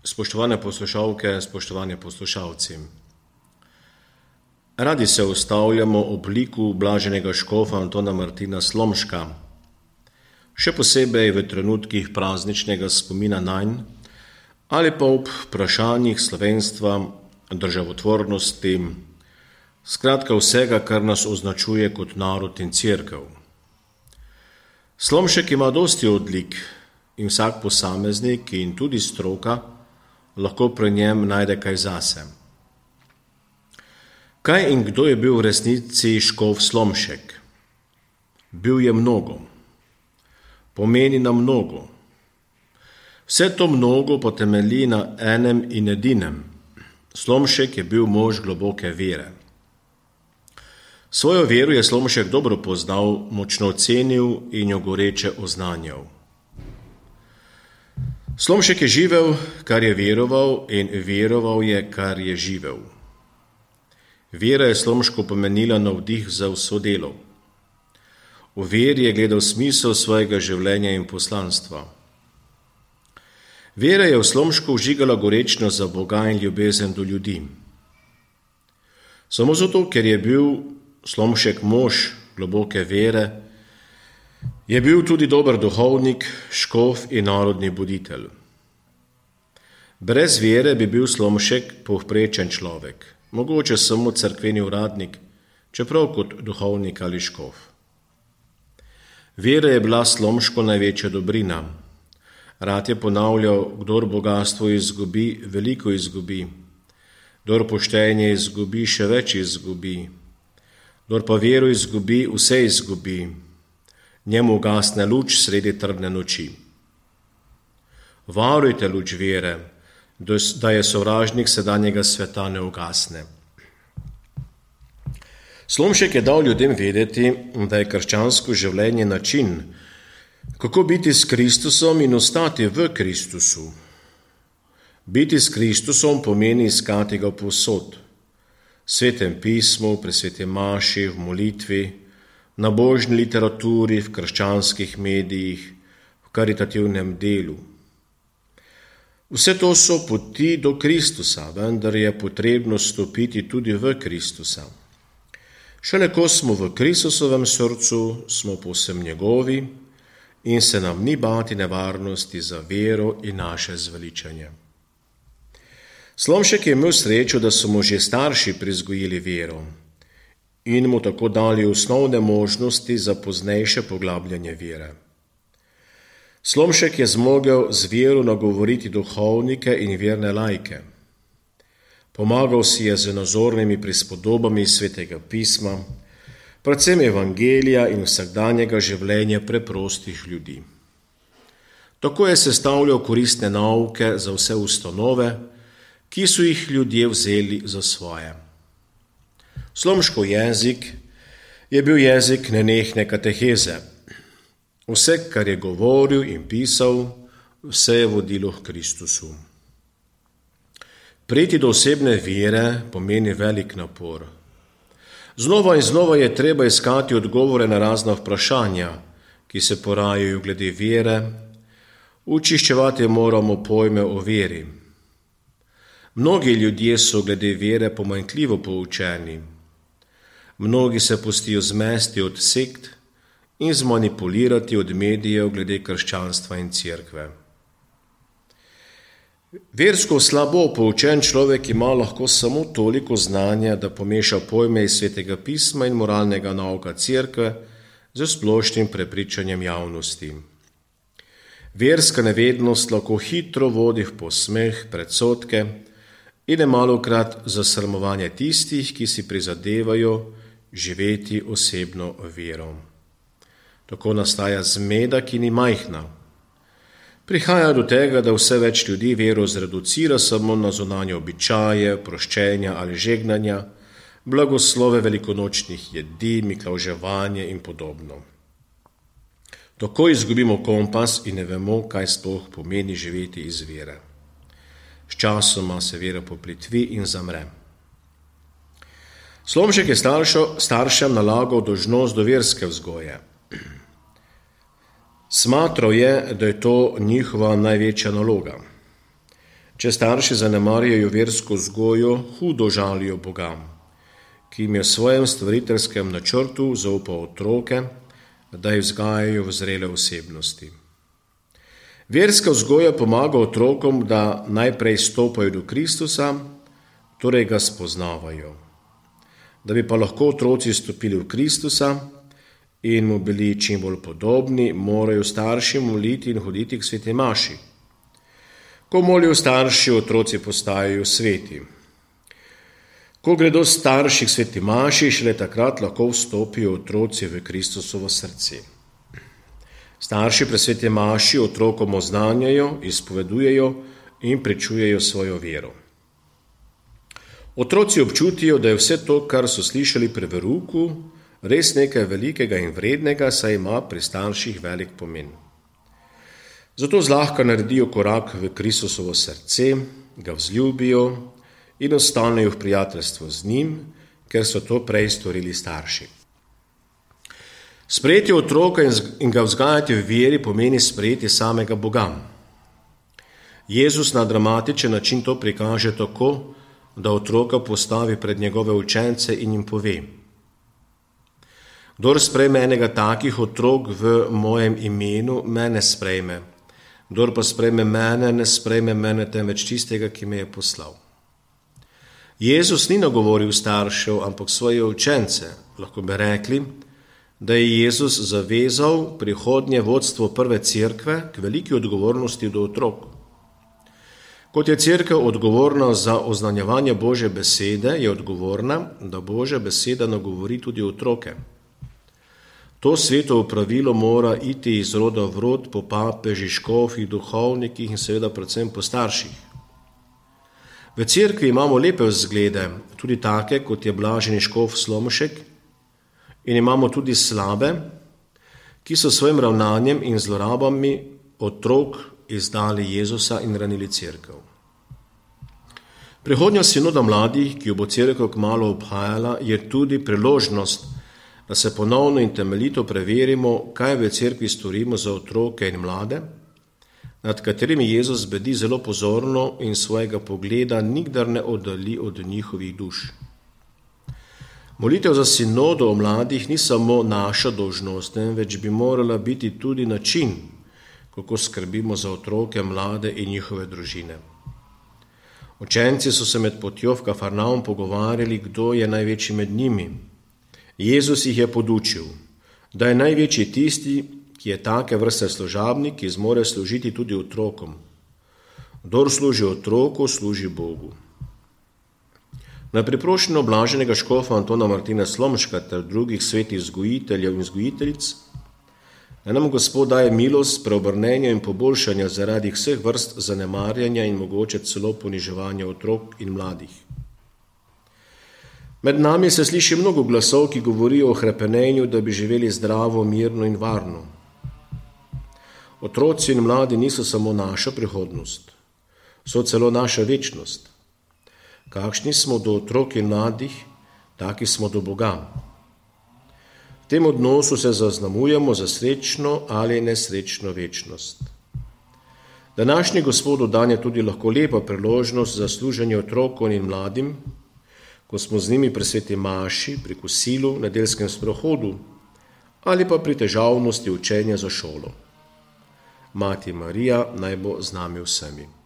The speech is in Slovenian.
Spoštovane poslušalke, spoštovani poslušalci. Radi se ustavljamo ob liku blaženega škofa Antona Martina Slomška, še posebej v trenutkih prazničnega spomina nanj ali pa ob vprašanjih slovenstva, državotvornosti, skratka vsega, kar nas označuje kot narod in cerkev. Slomšek ima dosti odlik in vsak posameznik in tudi stroka lahko pri njem najde kaj zase. Kaj in kdo je bil v resnici škof Slomšek? Bil je mnogo. Pomeni na mnogo. Vse to mnogo pa temelji na enem in edinem. Slomšek je bil mož globoke vere. Svojo vero je Slomšek dobro poznal, močno cenil in jo goreče oznanjal. Slomšek je živel, kar je veroval, in veroval je, kar je živel. Vera je Slomšku pomenila navdih za vso delo. V veri je gledal smisel svojega življenja in poslanstva. Vera je v Slomšku vžigala gorečnost za Boga in ljubezen do ljudi. Samo zato, ker je bil Slomšek mož globoke vere, je bil tudi dober duhovnik, škof in narodni buditelj. Brez vere bi bil Slomšek povprečen človek, mogoče samo cerkveni uradnik, čeprav kot duhovnik ali škof. Vera je bila Slomšku največja dobrina. Rad je ponavljal, kdor bogastvo izgubi, veliko izgubi, kdor poštenje izgubi, še več izgubi, kdor pa vero izgubi, vse izgubi. Njemu ugasne luč sredi trdne noči. Varujte luč vere, da je sovražnik sedanjega sveta ne ugasne. Slomšek je dal ljudem vedeti, da je krščansko življenje način, kako biti s Kristusom in ostati v Kristusu. Biti s Kristusom pomeni iskati ga povsod. V Svetem pismu, pri sveti maši, v molitvi, na božni literaturi, v krščanskih medijih, v karitativnem delu. Vse to so poti do Kristusa, vendar je potrebno stopiti tudi v Kristusa. Šele ko smo v Kristusovem srcu, smo povsem njegovi in se nam ni bati nevarnosti za vero in naše zveličanje. Slomšek je imel srečo, da so mu že starši prizgojili vero in mu tako dali osnovne možnosti za poznejše poglabljanje vere. Slomšek je zmogel z vero nagovoriti duhovnike in verne laike. Pomagal si je z nazornimi prispodobami svetega pisma, predvsem evangelija in vsakdanjega življenja preprostih ljudi. Tako je sestavljal koristne nauke za vse ustanove, ki so jih ljudje vzeli za svoje. Slomškov jezik je bil jezik nenehne kateheze. Vse, kar je govoril in pisal, vse je vodilo k Kristusu. Priti do osebne vere pomeni velik napor. Znova in znova je treba iskati odgovore na razna vprašanja, ki se porajajo glede vere. Učiščevati moramo pojme o veri. Mnogi ljudje so glede vere pomanjkljivo poučeni. Mnogi se pustijo zmesti od sekt in zmanipulirati od medijev glede krščanstva in cerkve. Versko slabo poučen človek ima lahko samo toliko znanja, da pomeša pojme iz svetega pisma in moralnega nauka cerkve z splošnim prepričanjem javnosti. Verska nevednost lahko hitro vodi v posmeh, predsodke in nemalokrat zasramovanje tistih, ki si prizadevajo živeti osebno vero. Tako nastaja zmeda, ki ni majhna. Prihaja do tega, da vse več ljudi vero zreducira samo na zunanje običaje, proščenja ali žegnanja, blagoslove velikonočnih jedi, miklavževanje in podobno. Tako izgubimo kompas in ne vemo, kaj sploh pomeni živeti iz vere. Sčasoma se vera poplitvi in zamre. Slomšek je staršem nalagal dolžnost do verske vzgoje. Smatral je, da je to njihova največja naloga. Če starši zanemarjajo versko vzgojo, hudo žalijo Boga, ki jim je v svojem stvariteljskem načrtu zaupal otroke, da jih vzgajajo v zrele osebnosti. Verska vzgoja pomaga otrokom, da najprej stopajo do Kristusa, torej ga spoznavajo. Da bi pa lahko otroci stopili v Kristusa in mu bili čim bolj podobni, morajo starši moliti in hoditi k sveti maši. Ko molijo starši, otroci postajajo sveti. Ko gredo starši k sveti maši, šele takrat lahko vstopijo otroci v Kristusovo srce. Starši pri sveti maši otrokom oznanjajo, izpovedujejo in pričujejo svojo vero. Otroci občutijo, da je vse to, kar so slišali pri verouku, res nekaj velikega in vrednega, saj ima pri starših velik pomen. Zato zlahka naredijo korak v Kristusovo srce, ga vzljubijo in ostanejo v prijateljstvu z njim, ker so to prej storili starši. Sprejeti otroka in ga vzgajati v veri pomeni sprejeti samega Boga. Jezus na dramatičen način to prikaže tako, da otroka postavi pred njegove učence in jim pove: Kdor sprejme enega takih otrok v mojem imenu, mene sprejme. Kdor pa sprejme mene, ne sprejme mene, temveč tistega, ki me je poslal. Jezus ni nagovoril staršev, ampak svoje učence. Lahko bi rekli, da je Jezus zavezal prihodnje vodstvo prve cerkve k veliki odgovornosti do otrok. Kot je cerkev odgovorna za oznanjevanje Božje besede, je odgovorna, da Božja beseda nagovori tudi otroke. To svetovo pravilo mora iti iz roda v rod po papežih, škofih, duhovnikih in seveda predvsem po starših. V cerkvi imamo lepe vzglede, tudi take, kot je blaženi škof Slomšek, in imamo tudi slabe, ki so svojim ravnanjem in zlorabami otrok izdali Jezusa in ranili cerkev. Prihodnja sinoda mladih, ki jo bo cerkev kmalu obhajala, je tudi priložnost, da se ponovno in temeljito preverimo, kaj v cerkvi storimo za otroke in mlade, nad katerimi Jezus bedi zelo pozorno in svojega pogleda nikdar ne oddalji od njihovih duš. Molitev za sinodo o mladih ni samo naša dolžnost, temveč bi morala biti tudi način, kako skrbimo za otroke, mlade in njihove družine. Učenci so se med potjo v Kafarnaum pogovarjali, kdo je največji med njimi. Jezus jih je podučil, da je največji tisti, ki je take vrste služabnik, ki zmore služiti tudi otrokom. Kdor služi otroku, služi Bogu. Na priprošnjo blaženega škofa Antona Martina Slomška ter drugih svetih vzgojiteljev in vzgojiteljic, da nam Gospod daje milost preobrnenja in poboljšanja zaradi vseh vrst zanemarjanja in mogoče celo poniževanja otrok in mladih. Med nami se sliši mnogo glasov, ki govorijo o hrepenenju, da bi živeli zdravo, mirno in varno. Otroci in mladi niso samo naša prihodnost, so celo naša večnost. Kakšni smo do otrok in mladih, taki smo do Boga. V tem odnosu se zaznamujemo za srečno ali nesrečno večnost. Današnji Gospodu dan je tudi lahko lepa priložnost za služenje otrokom in mladim, ko smo z njimi pri sveti maši, pri kosilu, nedeljskem sprehodu ali pa pri težavnosti učenja za šolo. Mati Marija naj bo z nami vsemi.